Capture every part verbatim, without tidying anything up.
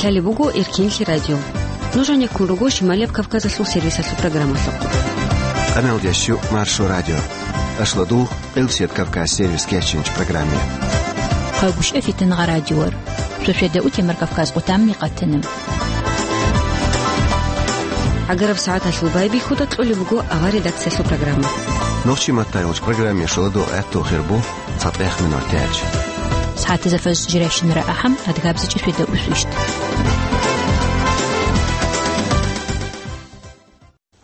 Талеб буго Эркенлъи радио. Нуж гьанеккун руго Шималияб Кавказалъул сервисалъул программалъухъ. Къаналдящу Маршо радио. Ашлодул Къилсият Кавказ сервис кечинч программе. Хъагушев Фитнагъа радиор. Шошеда утемар Кавказ къутамни къатанам. Агараб сагӀаталъул байбихьуда кьолеб буго авар редакциялъул программа. Нохчи маттайолч программе шоладо гӀатту хирбу. ЦатӀех минутач. СагӀатазда фажр жирайщинара ахӀам, адгабзичӀеб шведа усвищ.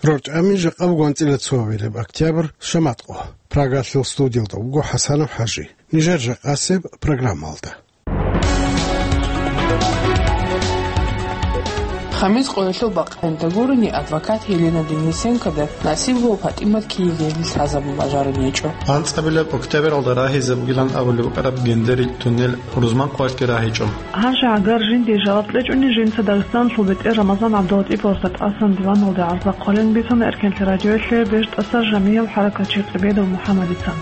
РорчӀами жакъа буго анцӀила цоабилеб октябрь, шаматкъо. Прагалъул студиялда вуго ХӀасанов ХӀажи. Нижер жакъасеб программалда. Хамис къоялъул бакъ гьанта гурони адвокат Елена Денисенкода насиблъул ПатӀимат Киевиялде лъазабун бажарун гьечӀо. АнцӀабилеб октябралда рагьизе бугилан абулеб букӀараб Гендерил туннел рузман къоялъги рагьичӀо. Гьанже гӀагар жинде жаваб кьечӀони жинца Дагъистаналъул бетӀер Рамазан ГӀабдулатӀиповасда тӀасан диваналде гӀарза хъвалин бицана Эркенлъи радиоялъе БежтӀаса жамигьав хӀаракатчи КъибедовмухӀамадица.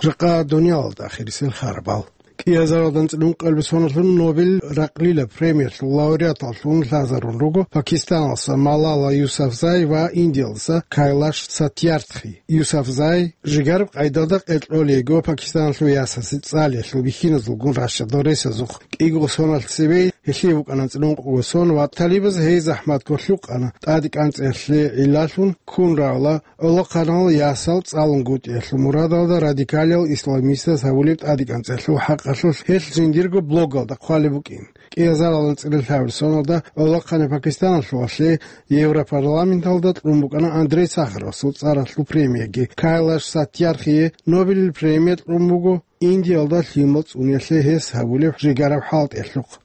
Жакъа дуниялалда ахирисел хабарал. КӀиазаралда анцӀила ункъабилеб соналъун Нобел ракълила премиялъул лауреаталлъун лъазарун руго Пакистаналъуса Малала Юсафзай ва Индиялъуса Кайлаш Сатьярдхи. Юсафзай жигараб къайдалда къеркьолейго Пакистаналъул ясасе цӀалиялъул бихьиназулгун ращадал ресазухъ кӀиго соналъ цебе, гьелъие букӀана анцӀила ункъго сон ва талибаз гьей захӀматго лъукъана, тӀаде кӀанцӀиялъе гӀиллалъун ккун равла, гӀолохъанал ясал цӀалунгутӀиялъул мурадалда радикалиял исламистаз гьабулеб тӀадекӀанцӀиялъул хӀакъалъулъ гьелъ жиндирго блогалда хъвалеб букӀин. КӀиазаралда анцӀила лъабабилеб соналда гӀолохъанай Пакистаналъувалъе Европарламенталда кьун букӀана Андрей Сахаровасул цӀаралъул премияги. Кайлаш Сатьярдхие Нобелил премия кьун буго Индиялда лъимал цӀуниялъе гьес гьабулеб жигараб хӀалтӀиялъухъ.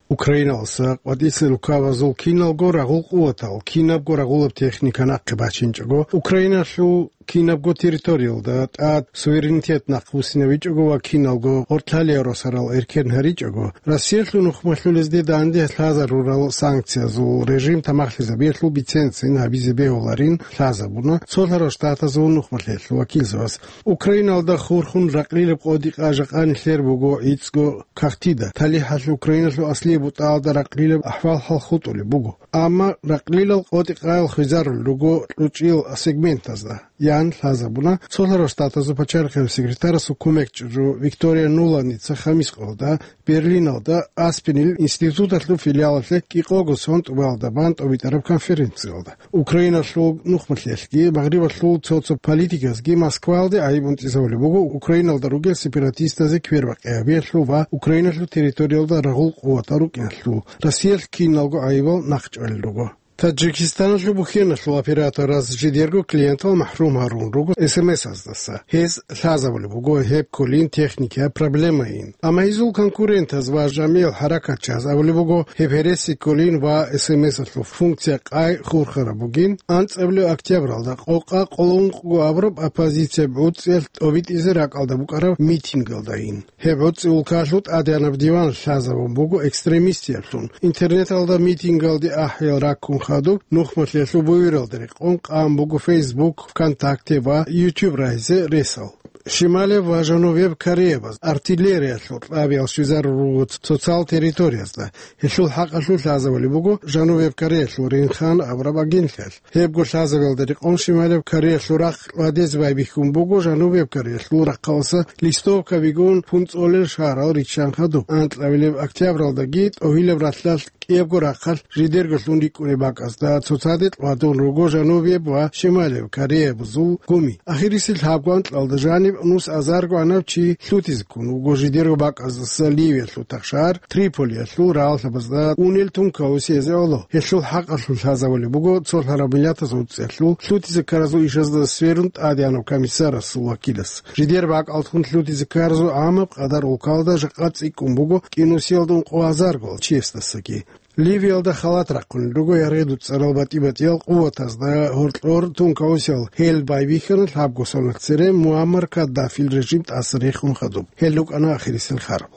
Украиналъуса къватӀиса рукабазул киналго рагъул къуватал, кинабго рагъулаб техника нахъе бачинчӀого, Украиналъул кинабго территориялда тӀад суверенитет нахъбуссинабичӀого ва киналго гъоркьлъалияб росарал эркен гьаричӀого, Россиялъул нухмалъулезде данде лъазарурал санкциязул режим тамахлъизабиялъул бицен-цин гьабизе бегьуларин лъазабуна Цолъарал Штатазул нухмалъиялъул вакилзабаз. Украиналда хурхун ракълилаб къотӀи-къа жакъа нилъер буго гӀицӀго кагътида, талихӀалъ Украиналъул аслияб бутӀаялда ракълилаб ахӀвал-хӀал хутӀулеб буго. Амма ракълилал къотӀи-къаял хвезарулел руго кьучӀил сегментазда, ян лъазабуна Цолъарал Штатазул пачарихъе секретарасул кумекчӀужу Виктория Нуланница хамис къоялда Берлиналда Аспенил институталъул филиалалъе кӀикъого сон тӀубалда бан тӀобитӀараб конференциялда. Украиналъул нухмалъиялъги, Магърибалъул цо-цо политикасги Москваялде гӀайиб унтӀизабулеб буго Украиналда ругел сепаратистазе квербакъи гьабиялъул ва Украиналъул территориялда рагъул къуватал рукӀиналъул. Россиялъ киналго гӀайибал нахъчӀвалел руго. Таджикистаналъул бухьеналъул оператораз жидерго клиентал махӀрум гьарун руго эс эм эс-аздаса. Гьез лъазабулеб буго гьеб кколин техникияб проблемайин. Амма гьезул конкурентаз ва жамигӀал хӀаракатчияз абулеб буго гьеб гьереси кколин ва эс эм эс-алъул функция къай хурхараб бугин. АнцӀабилеб октябралда къокъа къоло ункъго абураб оппозиция гӀуцӀиялъ тӀобитӀизе ракӀалда букӀараб митингалдайин. Гьеб гӀуцӀи улкалъул тӀадегӀанаб диван лъазабун буго экстремистиялъун. Интернеталда митингалде ахӀиял раккун хадуб, нухмалъиялъул буюралда рекъон къан буго Facebook, ВКонтакте ва YouTube рагьизе ресал. Шималеб ва Жанубеб Кореябаз артиллериялъул кьабиял щвезарун руго цоцал территориязда. Гьелъул хӀакъалъулъ лъазабулеб буго Жанубеб Кореялъул Ринхан абураб агентлъиялъ. Гьебго лъазабиялда рекъон Шималеб Кореялъул рахъ ладезе байбихьун буго Жанубеб Кореялъул рахъалъуса листовкабигун пунцӀолел шагьарал риччан хадуб. АнцӀабилеб октябралдаги тӀогьилаб ралъдалъ кӀиябго рахъалъ жидерго лъун рикӀкӀунеб бакӀазда цоцаде кьвадун руго Жанубеб ва Шималеб Кореябазул гуми. Ахирисел лъабго анкьалда жаниб нус азарго гӀанав чи лъутизе ккун вуго жидерго бакӀаздаса Ливиялъул тахшагьар Триполиялъул рагӀаллъабазда унел тункаусиезе гӀоло. Гьелъул хӀакъалъулъ лъазабулеб буго Цолъараб Миллатаз гӀуцӀиялъул лъутизе ккаразул ишазда сверун тӀадегӀанав комиссарасул вакилас. Жидер бакӀалдехун лъутизе ккаразул гӀамаб къадар улкалда жакъа цӀикӀкӀун буго кӀинусиялда ункъо азарго чиясдасаги. Ливиялда халат рахъунел руго яргъи дуцӀарал батӀи-батӀиял къуватазда гьоркьор тункаусиял. Гьел байбихьана лъабго соналъ цере Муаммар Каддафил режим тӀаса рехун хадуб. Гьел рукӀана ахирисел хабарал.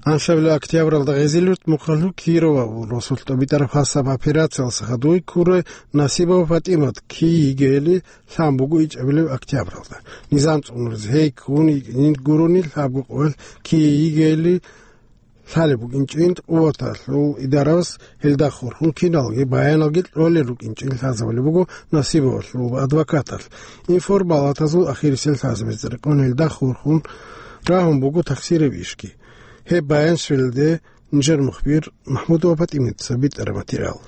Анлъабилеб октябралда Гъезилъурт мухъалъул Кирова абул росулъ тӀобитӀараб хасаб операциялъ хадуй ккурай Насибова ПатӀимат кий йигейилан лъан буго ичӀабилеб октябралда. Низам цӀунулез гьей ккун йикӀин гурони лъабго къоялъ кий йигейилан лъалеб букӀинчӀин къуваталъул идаравас гьелда хурхун киналги баяналги кьолел рукӀинчӀин лъазабулеб буго Насибовалъул адвокаталъ. Информалатазул ахирисел лъазабизе рекъон гьелда хурхун рагьун буго тахсираб ишги. Гьеб баянщиналде нижер мухбир МахӀмудова ПатӀиматица битӀараб материал.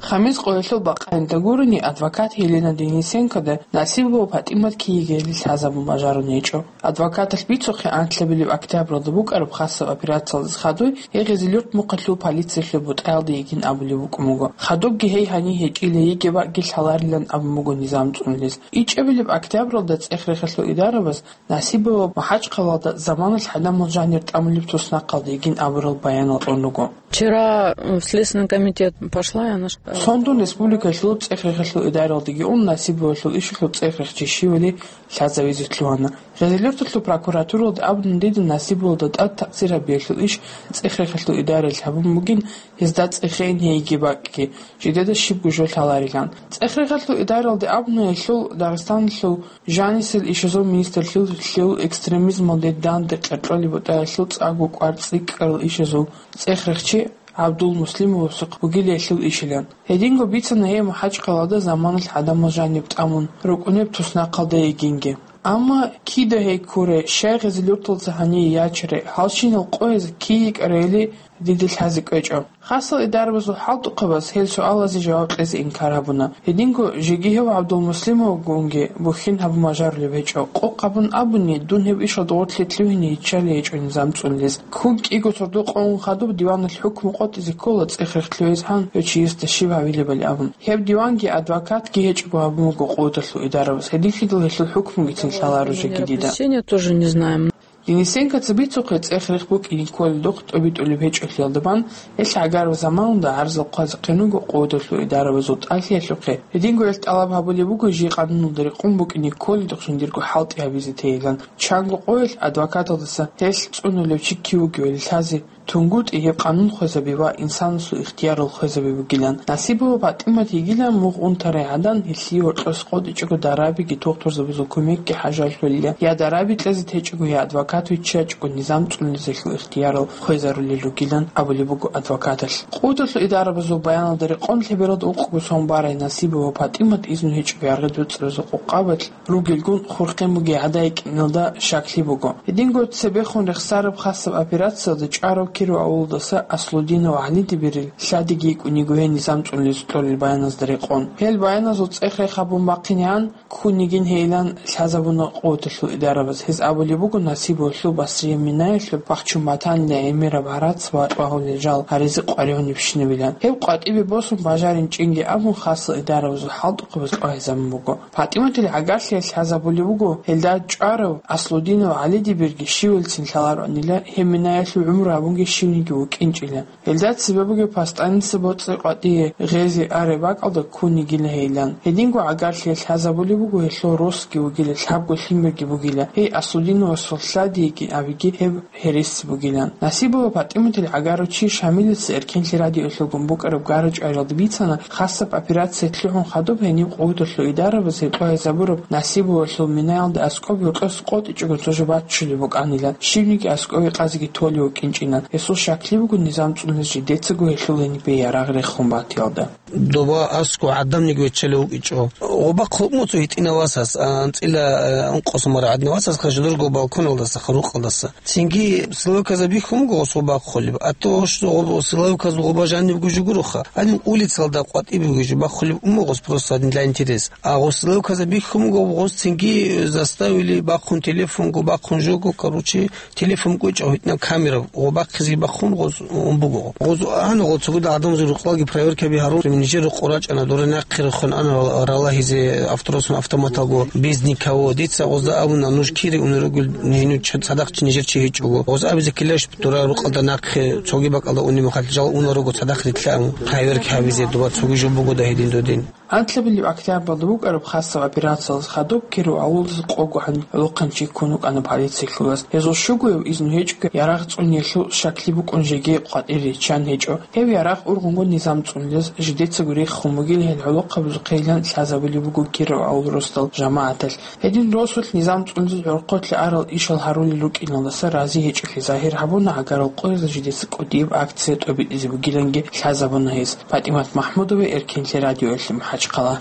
Хамис къоялъул бакъаялда гурони, адвокат Елена Денисенкода Насибова ПатӀимат кий йигейилан лъазабун бажарун гьечӀо. Адвокаталъ бицухъе анлъабилеб октябралда букӀараб хасаб операциялдаса хадуй гьей Гъезилъурт мухъалъул полициялъул бутӀаялда йигин абулеб букӀун буго. Хадубги гьей гьанив гьечӀила, йигеб бакӀги лъаларилан абун буго низам цӀунулез. ИчӀабилеб октябралда цӀех-рехалъул идарабаз Насибова МахӀачхъалаялда заманалъ гӀадамал жанир тӀамулеб туснахъалда йигин абурал баянал кьун руго. Вчера, э, в Следственный комитет пошла, и она ш- Сондун республикалъул цӀех-рехалъул идаралдаги ун Насибовалъул ишалъул цӀех-рехчи щивали лъазавизе лъугьана. Гъезилъурталъул прокуратуралда абуна дида Насибовалда тӀад такъсир гьабиялъул иш цӀех-рехалъул идаралъ гьабун бугин, гьезда цӀехейин гьей йигеб бакӀги, жидеда щибго жо лъаларилан. ЦӀех-рехалъул идаралде абуна гьелъул Дагъистаналъул жанисел ишазул министрлъулъ лъил экстремизмалде данде къеркьолеб бутӀаялъул цӀакъго кӀвар цӀикӀкӀарал ишазул цӀех-рехчи ГӀабдул Муслимовасухъ бугила гьелъул ишилан. Гьединго бицана гьей МахӀачхъалаялда заманалъ гӀадамал жаниб тӀамун рукӀунеб туснахъалда йигинги. Амма кида гьей ккурай, щай Гъезилъурталдаса гьание ячарай, гьалщинал къояз кий йикӀарайили дида лъазе кӀвечӀо. Хасал идарабазул хӀалтӀухъабаз гьел суалазе жаваб кьезе инкар гьабуна. Гьединго жеги гьев ГӀабдулмуслимовгунги бухьин гьабун бажарулеб гьечӀо. Къокъ гьабун абуни, дун гьеб ишалда гъорлъе лъугьине йиччалей гьечӀо низам цӀунулез. Ккун кӀиго сордо къо ун хадуб диваналъ хӀукму къотӀизе ккола цӀех-рех лъугьизе гьев чиясда щиб гьавилебали абун. Гьеб диванги адвокатги гьечӀого гьабун буго къуваталъул идарабаз. Гьединлъидал гьелъул хӀукмугицин лъаларо жеги дида. Опасения тоже не знаем. Денисенкоца бицухъе цӀех-рех букӀине кколелдухъ тӀобитӀулеб гьечӀолъиялда бан, гьелъ гӀагараб заманалда гӀарзал хъвазехъин руго къуваталъул идарабазул тӀалъиялъухъе. Гьединго гьелъ тӀалаб гьабулеб буго жий къануналда рекъон букӀине кколелдухъ жиндирго хӀалтӀи гьабизе тейилан. Чанго къоялъ адвокаталдаса гьелъ цӀунулев чи кив вугевали лъазе, тунгутӀи гьеб къанун хвезаби ва инсанасул ихтиярал хвезаби бугилан. Насибова ПатӀимат йигилан мугъ унтарай гӀадан, гьелъие гьоркьоса къотӀичӀого дарабиги тухтурзабазул кумекги хӀажалъулила, я дараби кьезе течӀого, я адвокат виччачӀого низам цӀунулезелъул ихтиярал хвезарулел ругилан абулеб буго адвокаталъ. Къуваталъул идарабазул баяналда рекъон лъебералда ункъго сон барай Насибова ПатӀимат изну гьечӀого яргъи доцӀразул къокъабалъ ругелгун хурхен бугей гӀадайикӀиналда щаклъи буго. Гьединго цебехун рехсараб хасаб операциялда чӀварав Киров авулдаса Аслудинов ГӀалидибирил лъадиги йикӀун йиго гьей низам цӀунулез кьолел баяназда рекъон. Гьел баяназул цӀех-рех гьабун бахъинегӀан ккун йигин гьейилан лъазабуна къуваталъул идарабаз. Гьез абулеб буго Насибовалъул Басрия Минаялъул бахчун батанила гӀемераб гӀарац ва тӀвагьулел жал гьаризе къваригӀунебщинабилан. Гьеб къватӀибе босун бажаринчӀинги абун хасал идарабазул хӀалтӀухъабаз тӀвагьизабун буго. ПатӀиматил гӀагарлъиялъ лъазабулеб буго, гьелда чӀварав Аслудинов ГӀалидибирги щивелцин лъалароанила, гьеб Минаялъул гӀумру гьабунги щивниги вукӀинчӀила. Гьелда цебе бугеб Пастаница боцӀи къватӀие гъезе ареб бакӀалда ккун йигила гьейилан. Гьединго гӀагарлъиялъ лъазабулеб буго гьелъул росги вугила лъабго лъимерги бугила. Гьей Аслудиновасул лъадиги абиги гьеб гьереси бугилан. Насибова ПатӀиматил гӀагарав чи Шамилица эркенлъи радиоялъулгун букӀараб гара-чӀвариялда бицана, хасаб операция лъугӀун хадуб гьениб къуваталъул идарабаз гьеб тӀвагьизабураб Насибовалъул Минаялда аскӀоб гьоркьоса къотӀичӀого цо жо баччулеб букӀанилан, щибниги аскӀове къазеги толев вукӀинчӀилан. Гьесул щаклъи буго низам цӀунулез жидецаго гьелъул гьенибе ярагъ рехун батиялда. Доба аскӀов гӀадамниги виччалев вукӀинчӀо. Гъоба хъулукъ муцӀу гьитӀинав васас, анцӀила, э, ункъо сумара гӀадинав васас хажалурго балконалдаса, хурукъалдаса. Цинги силовиказ бихьун буго гъос гъоба хъулеб. Ато гъос гъоб-, силовиказ гъоба жаниб гужугуруха. Гьаниб улицалда къватӀиб бугеб жо бахъулеб ун буго гъос просто гьадин для интерес. А гъос силовиказ бихьун буго гъос цинги заставили бахъун телефонго, бахъун жого, короче, телефон кӀвечӀо гьитӀинаб камера, гъо бахъизе бахъун гъоз ун буго. Гъоз гьанна гъо цогидал гӀадамазул рукъалги проверкаби гьарун, нижер рукъо рачӀана, дора нахъе рехун ана ралагьизе авторосун автоматалго без никого. Дица гъозда абуна, нуж кире уна ругел, гьенив ч-, цадахъ чи нижер чи гьечӀого. Гъоз абизе ккелищ дора рукъалда нахъе цоги бакӀалда уни махалъ жал уна руго цадахъ рилълъа абун. Проверка гьабизе доба цоги жо бугода гьедин додин. Анлъабилеб октябралда букӀараб хасаб операциялъ хадуб Киров авулалъув къого гӀолохъанчи ккун вукӀана полициялъул вас. Гьезул щугояв изну гьечӀого ярагъ цӀуниялъул щаклъи букӀун жеги къватӀире риччан гьечӀо. Гьев ярагъ ургъунго низам цӀунулез жидецаго риххун бугилан гьел гӀолохъабазухъейилан лъазабулеб буго Киров авул росдал жамагӀаталъ. Гьедин росулъ низам цӀунулел гӀорхъолъе арал ишал гьарулел рукӀиналдаса рази гьечӀолъи загьир гьабуна, гӀагарал къоязда жидеца кӀудияб акция тӀобитӀизе бугиланги лъазабуна гьез. ПатӀимат МахӀмудова, Эркенлъи радиоялъе МахӀачхъала.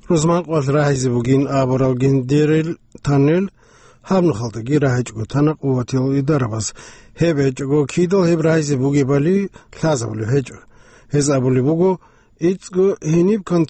Рузманкъоялъ рагьизе бугин абурал гендерил тоннель гьаб нухалдаги рагьичӀого тана къуватиял идарабаз. Гьеб гьечӀого кидал гьеб рагьизе бугебали лъазабулеб гьечӀо. Гьез абулеб буго, ИцӀго гьениб кон-,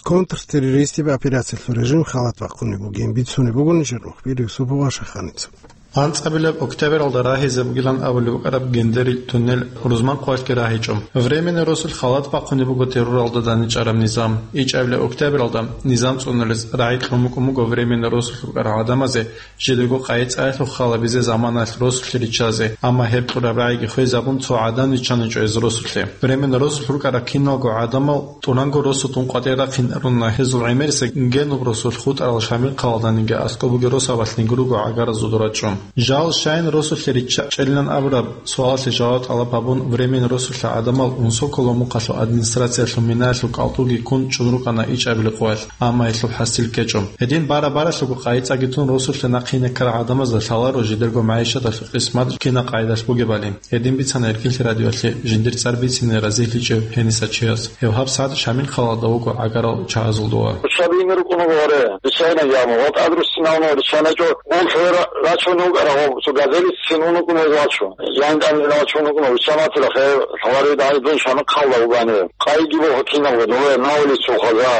контртеррористияб операциялъул режим халат бахъунеб бугин бицунеб буго нижер мухбир Юсупов Ашаханица. АнцӀабилеб октябралда рагьизе бугилан абулеб букӀараб гендерил туннел рузман къоялъги рагьичӀо. Временный росулъ халат бахъунеб буго терроралда даничӀараб низам. ИчӀабилеб октябралда низам цӀунулез рагӀи кьун букӀун буго временный росулъ рукӀарал гӀадамазе жидерго къайи-цӀаялъул халабизе заманалъ росулъе риччазе, амма гьеб кьураб рагӀиги хвезабун, цо гӀадан риччаничӀо гьез росулъе. Временный росулъ рукӀарал киналго гӀадамал тӀуранго росу тун къватӀир рахъинаруна, гьезул гӀемерисеб генуб росулъ хутӀарал Шамил хъалалданиги аскӀоб бугеб росабалъ нигруго гӀагаразул рачӀун. Жал щайин росулъе риччачӀелилан абураб суалалъе жаваб тӀалаб гьабун, временный росулъа гӀадамал Унсоколо мухъалъул администрациялъул минаялъул кӀалтӀуги ккун чӀун рукӀана ичӀабилеб къоялъ, амма гьелъул хӀасил ккечӀо. Гьедин бара-баралъуго къайи-цӀаги тун росулъе нахъе инеккарал гӀадамазда лъаларо жидерго магӀишаталъул къисмат кина къайдалъ бугебали. Гьедин бицана Эркенлъи радиоялъе жиндир цӀар бицине разилъичӀев гьениса чияс. Гьев гьабсагӀат Шамил хъалалда вуго гӀагарал чагӀазул дова. Цабине рукӀунаго гьаре, риччайна яму, ва тӀад руссинавна риччаначӀо, гъол хӀера рачун вукӀара, гъо, цо газелицин унукӀун вачун. Ян тӀамила вачун вукӀуна, риччанатила хӀе, лъалари дагьидун Шамил хъалда вугани. Къайги бо гьакинав, нове, на улицу хаза,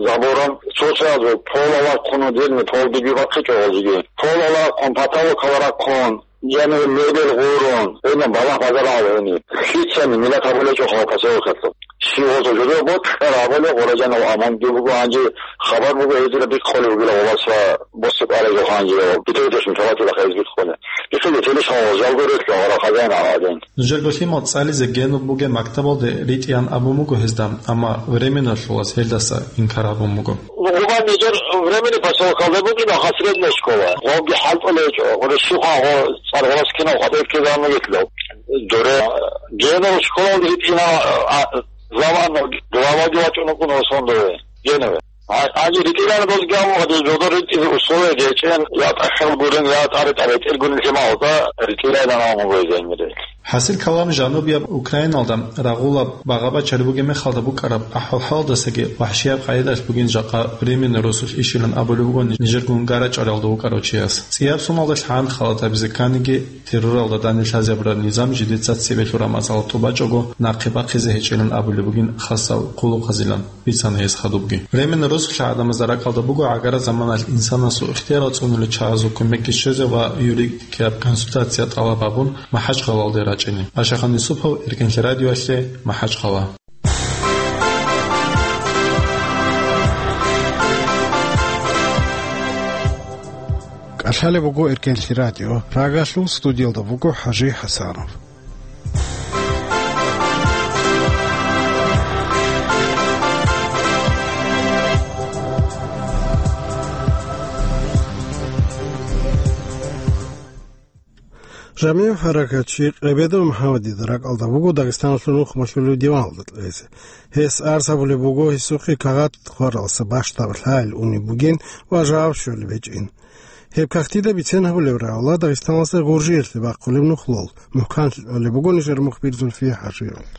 забором, цо чаязул, пол алахъун, дирни пол диги бахъичӀо гъозиги. Пол алахъун, потолок аларахъун. Яни мебел гъурун, гьениб балагь базарал гьениб. Лъицани миллат гьабулечӀо хъал поселокалъул. Щивазул жо бокьарабали гъураджанал амунги буго гьанже, хабар буго гьезира бихъули бугила валас ва босикъарай жо гьанже, битӀердеш мутаватила хайз бихъули. Бихъиги телешал жалго рехьа гъара хазяин гьадин. Нужерго лъимал цӀализе генуб бугеб мактабалде ритӀиян абун буго гьезда, амма временналъулас гьелдаса инкар гьабун буго. Гъуба нижер временный поселокалда букӀина хасредная школа. Гъовги хӀалтӀулечӀо, гъурищухъа гъо цӀар гъорас кинав хатӀир ккезан мегетлъав. Доре генов школалде ритӀина, а, заман главаги вачӀун вукӀун Осондове, генове. А, ани ритӀилан дозги аму гьадин жодор ритӀизе условия гьечӀен, я тӀахьал гурин, я тӀаре-тӀаре тӀергунин лъималда ритӀилайилан аму гойзайнилел. ХӀасил калам жанубияб Украиналда рагъулаб багъа-бачари бугеб мехалда букӀараб ахӀвал-хӀалалдасаги вахӀшияб къайдалъ бугин жакъа временный росулъ ишилан абулеб буго нижер гунгарачӀаралда вукӀарав чияс. ЦӀияб соналдалъ гьан халатабизе кканиги, терроралда данделъазе гьабураб низам жидеца цебе лъураб мацӀалда тӀубачӀого нахъе бахъизе гьечӀилан абулеб бугин хасал хъулухъазилан. Бицана гьес хадубги. Временный росулъа гӀадамазда ракӀалда буго гӀагара заманалъ инсанасул ихтиярал цӀунулел чагӀазул кумекги щвезе ва юридикияб консультация тӀалаб гьабун, МахӀачхъалалде рачӀине. Ашахан Юсупов, Эркенлъи радиоялъе, МахӀачхъала. КӀалъалеб буго Эркенлъи радио, Прагалъул студиялда буго ХӀажи ХӀасанов. Жамигьев хӀаракатчи Къебедов МухӀамадида ракӀалда буго Дагъистаналъул нухмалъулев диваналда кьезе. Гьес арз гьабулеб буго гьесухъе кагъат хъваралдаса бащдаб лъайил унеб бугин ва жаваб щолеб гьечӀин. Гьеб кагътида бицен гьабулеб рагӀула Дагъистаналъа Гъуржиялъе бахъулеб нухлул. МухӀканлъи кьолеб буго нижер мухбир Зульфия ХӀажиевалда.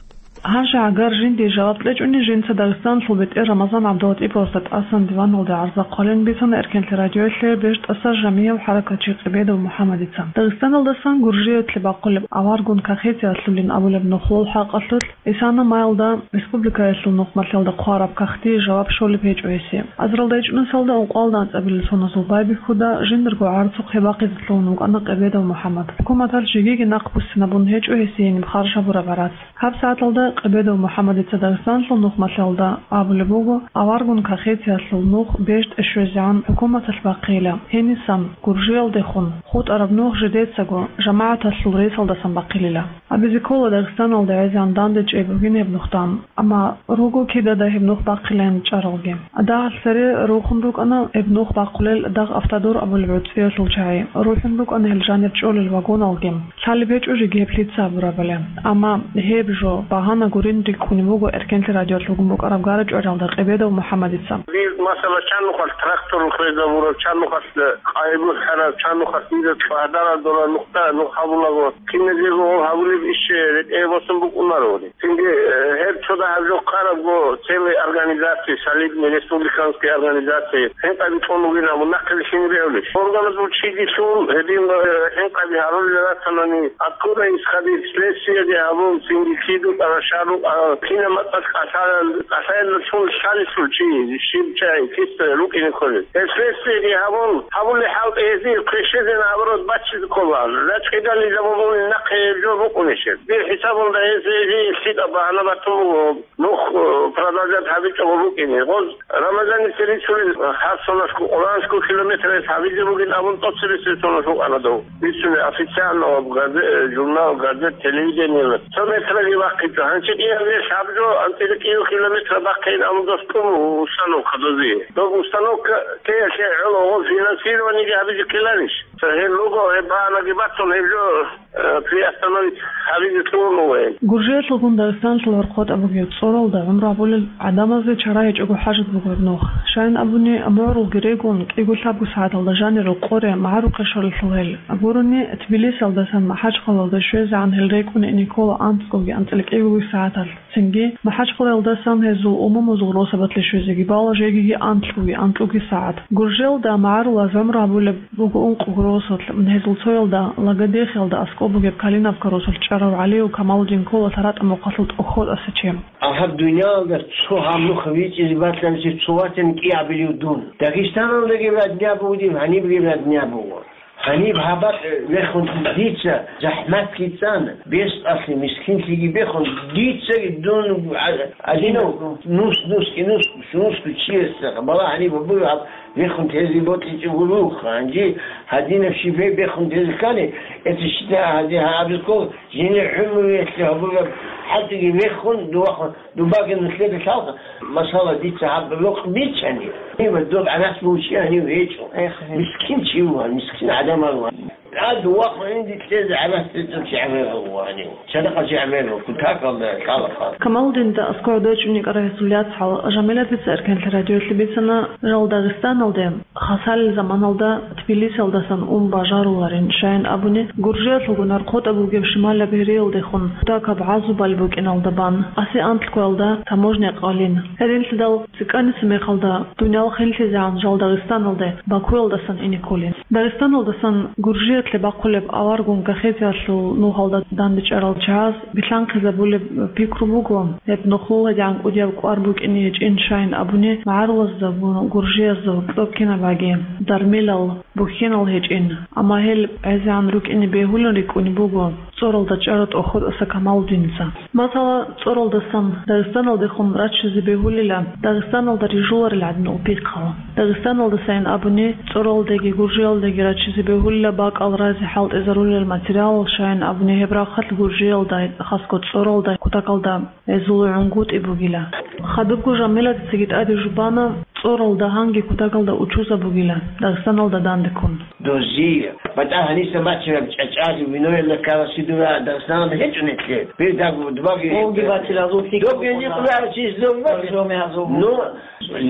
Гьанже гӀагар жиндие жаваб кьечӀони жинца Дагъистаналъул бетӀер Рамазан ГӀабдулатӀиповасда тӀасан диваналде гӀарза хъвалин бицана Эркенлъи радиоялъе бежтӀаса Жамигьев хӀаракатчи Къебедов МухӀамадица. Дагъистаналдасан Гъуржиялъе бахъулеб аварагун кагътиялъулин абулеб нухлул хӀакъалъулъ, исана майилда республикаялъул нухмалъулда хъвараб кагътие жаваб щолеб гьечӀо гьесие. Азарилда ичӀнусалда ункъоялда анцӀабилеб соназул байбихьуда жиндирго гӀарцухъе бахъизе лъугьун вукӀана Къебедов МухӀамад. ХӀукуматалъ жегиги нахъ буссинабун гьечӀо гьесие гьениб харж гьабураб гӀарац. ГьабсагӀаталда Къебедов МухӀаммадица Дагъистаналъул нухмалъалда абулеб буго, аваргун кахетиялъул нух бежтӀе щвезегӀан хӀукуматалъ бахъейила. Гьенисан, Гуржиялдехун хутӀараб нух жидецаго жамагӀаталъул ресалдасан бахъилила. Абизе ккола Дагъистаналда гӀезегӀан данде чӀей бугин гьеб нухдан, амма руго кидада гьеб нух бахъилин чӀаралги. Дагьалъ цере рухун рукӀана гьеб нух бахъулел Дагъ Автодор абулеб гӀуцӀиялъул чагӀи, рухӀун рукӀана гьел жанир чӀолел вагоналги. Лъалеб гьечӀо жеги гьеб лъица абурабали. Амма гьеб жо багьана гурин рикӀкӀунеб буго Эркенлъи радиолъ вугун букӀараб гара-чӀвариялда Къебедов МухӀаммадица. Дир масала чан нухалъ трактор хвезабураб, чан нухалъ къайгу хӀараб, чан нухалъ дида цӀвагьдарал дора нухда нух гьабулаго, киназего гьабулеб иш рекӀее босун букӀунаро. Цинги, э, гьеб цо дагьаб жо хъарабго целые организации, солидные республиканские организации, хӀинкъаби кьун бугин абун нахъе бихьине бегьулищ? Органазул чиги лъун, гьедин, э, хӀинкъаби гьарулел ратанани, откуда исходить, следствиеги гьабун, цинги киду тӀара шару, а, кинаб мацӀалъ кӀалъаял-, кӀалъаялдалъун лъалелъул чи, щиб чай, киса рукӀине кколел. Гьеб следствиеги гьабун, гьабулеб хӀалтӀи гьезие квешезе наоборот баччизе ккола. РачӀидал низамалъун нахъе гьеб жо букӀунищ гьеб? Дир хӀисабалда гьез гьезие лъикӀаб багьана батун буго. Нух, э, продолжать гьабичӀого букӀине. Гъоз Рамазаница рицунел, э, гьаб соналъго, къоло анлъго километр гьабизе бугин абун тӀоцебесеб соналъ букӀана дов. Бицунел официально ва газе-, э, журнал, газет, телевидение. Цо метраги бахъичӀо. Гьанчи кӀияб вехь гьаб жо анцӀила кӀиго километр бахъейин абун дос тӀун установка дозе. Доб установка теялъе гӀоло гъоз финансированиеги гьабизе ккеларищ? Цо гьел руго, гьеб багьанаги бацун гьеб жо э, приостановить гьабизе лъугьун вугин. Гуржиялъулгун Дагъистаналъул гӀорхъотӀ абуги цӀоралда гӀумру гьабулел гӀадамазде чара гьечӀого хӀажат буго гьеб нух. Щайин абуни, мугӀрулги регун, кӀиго-лъабго сагӀаталда жанирал къоре магӀарухъе щолелъул гьел. Гурони, Тбилисиялдасан МахӀачхъалаялде щвезегӀан гьел рекӀун ине ккола анцӀгоги анцӀила кӀигоги сагӀаталъ. Цинги, МахӀачхъалаялдасан гьезул умумузул росабалъе щвезеги бала жегиги анлъгоги анкьуги сагӀат. Гуржиялда магӀарулаз гӀумру гьабулеб буго ункъого росулъ, гьезул цоялда Лагодехиялда аскӀоб бугеб Калиновка росулъ чӀарав ГӀалиев Камалудин ккола лъаратӀа мухъалъул тӀохьотӀаса чем. Гьаб дуниялалда цо гьаб нух бичӀчӀизе бакьаниги цо ватани кӀиабилев дун. Дагъистаналдаги радня буго диб, гьанибги радня буго. Гьаниб гьаб бакӀ вехун дица захӀматги цӀан, бес-, аслу мискинлъиги бехун, дицаги дун а-, адинав нус, нус, и нус, нусго чиясда бала гьаниб гьабур гьаб вехун тезе бокьичӀого рух, гьанже гьадинаб щиб бехун тезе ккани, это считай гьади гьабизкъо жине гӀумруялъе гьабураб хӀалтӀиги вехун, дувахун. Дубаги нилъеда лъалха, масала, дица гьаб рокъ биччани, гьанив доб гӀарац бугев чи гьанив гьечӀо. Мискин чи вугьан, мискин гӀадамал вугьан. Гьад вахъун дица гӀарац тӀецӀаб чи гӀемер вугьанив. Садакъа чи гӀемер вугьан, кутакалда лъалаха. Камалудинда аскӀов дойчӀун йикӀарай гьесул яцӀал Жамилатица Эркенлъи радиоялъе бицана жал Дагъистаналде. Хасалил заманалда Тбилисиялдасан ун бажаруларин, щайин абуни, Гуржиялъулгун гӀорхъотӀа бугеб шималаб гьериялдехун кутакаб гӀазубал букӀиналда бан, асе анлъгоялда таможня къалин. Гьединлъидал цӀикӀкӀаниса мехалда дуниял хинлъизегӀан жал Дагъистаналде Бакуялдасан ине кколин. Дагъистаналдасан Гуржиялъе бахъулеб аваргун кахетиялъул нухалда дандечӀарал чагӀаз билълъанхъизабулеб пикру буго, гьеб нухлула гӀан кӀудияб кӀвар букӀине гьечӀин, щайин абуни, магӀарулазда гун гуржиязда гьоркьоб кинабаги дармилал, бухьинал гьечӀин, амма гьел гӀезегӀан рукӀине бегьулин рикӀкӀунеб буго цӀоралда чӀарав тӀохьотӀаса Камалудинца. Масала, цӀоралдасан Дагъистаналдехун раччизе бегьулила, Дагъистаналда рижуларел гӀадин пихъал. Дагъистаналдасайин абуни, цӀоралдаги гуржиялдаги раччизе бегьулила бакӀал разе хӀалтӀизарулел материалал, щайин абуни гьеб рахъалъ гуржиялда, хасго цӀоралда, кутакалда гьезул гӀунгутӀи бугила. Хадубго Жамилатицаги тӀаде жубана, цӀоралда гьанги кутакалда учузаб бугила, Дагъистаналда дандеккун. Дозие. БатӀа гьаниса бачараб чӀачӀаги виноялда ккарасидура Дагъистаналда гьечӀо нилъер. Бер даг-, дубаги. Олги бачила, зул фикр Доги букӀуна. Никъ бачис, доги бачис. Боржоми гьазул. Ну,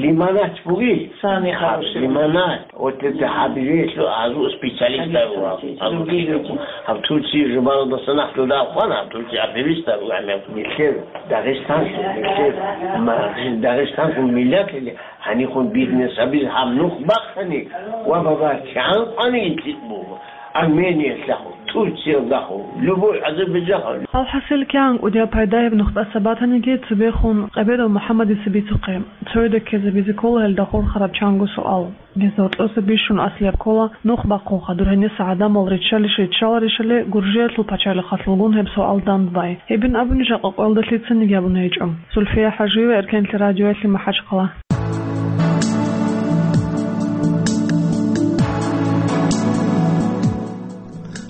лимонад буги. Сани Гьаб, хороший. Лимонад. Вот это гьабилелъул азу специалист Специалист, ва специалист. Азу Турция. Гьаб Турция жубаралдаса нахъ дуда хвана, гьаб Турция активист ва гьамел. Нилъер Дагъистан, нилъер ма-, Дагъистан миллат или, гьанихун бизнес абиз гьаб нух бахъани ва баба кигӀан къвани интӀикъ буго. Армениялъахъ, Турциялъахъ, любой Азербайджанахъ. Алхасил кигӀан кӀудияб пайда гьеб нухтӀаса батаниги, цебехун къебедал МухӀаммадица бицухъе, цояда ккезабизе ккола гьелда хурхараб чанго суал. Гьезда гьоркьоса бищун аслияб ккола нух бахъулха дур гьениса гӀадамал риччалищ-риччаларищали Гуржиялъул пачалихъалъулгун гьеб суал дандбай. Гьебин абуни жакъа къоялда лъицаниги абун гьечӀо. Зульфия ХӀажиева, Эркенлъи радиоялъе, МахӀачхъала.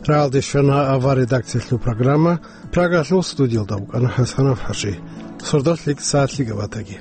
Рагьалде щвана авар редакциялъул программа, Прагалъул студиялда вукӀана ХӀасанов ХӀажи. Сордош лъикӀ сагӀат лъикӀаб батаги.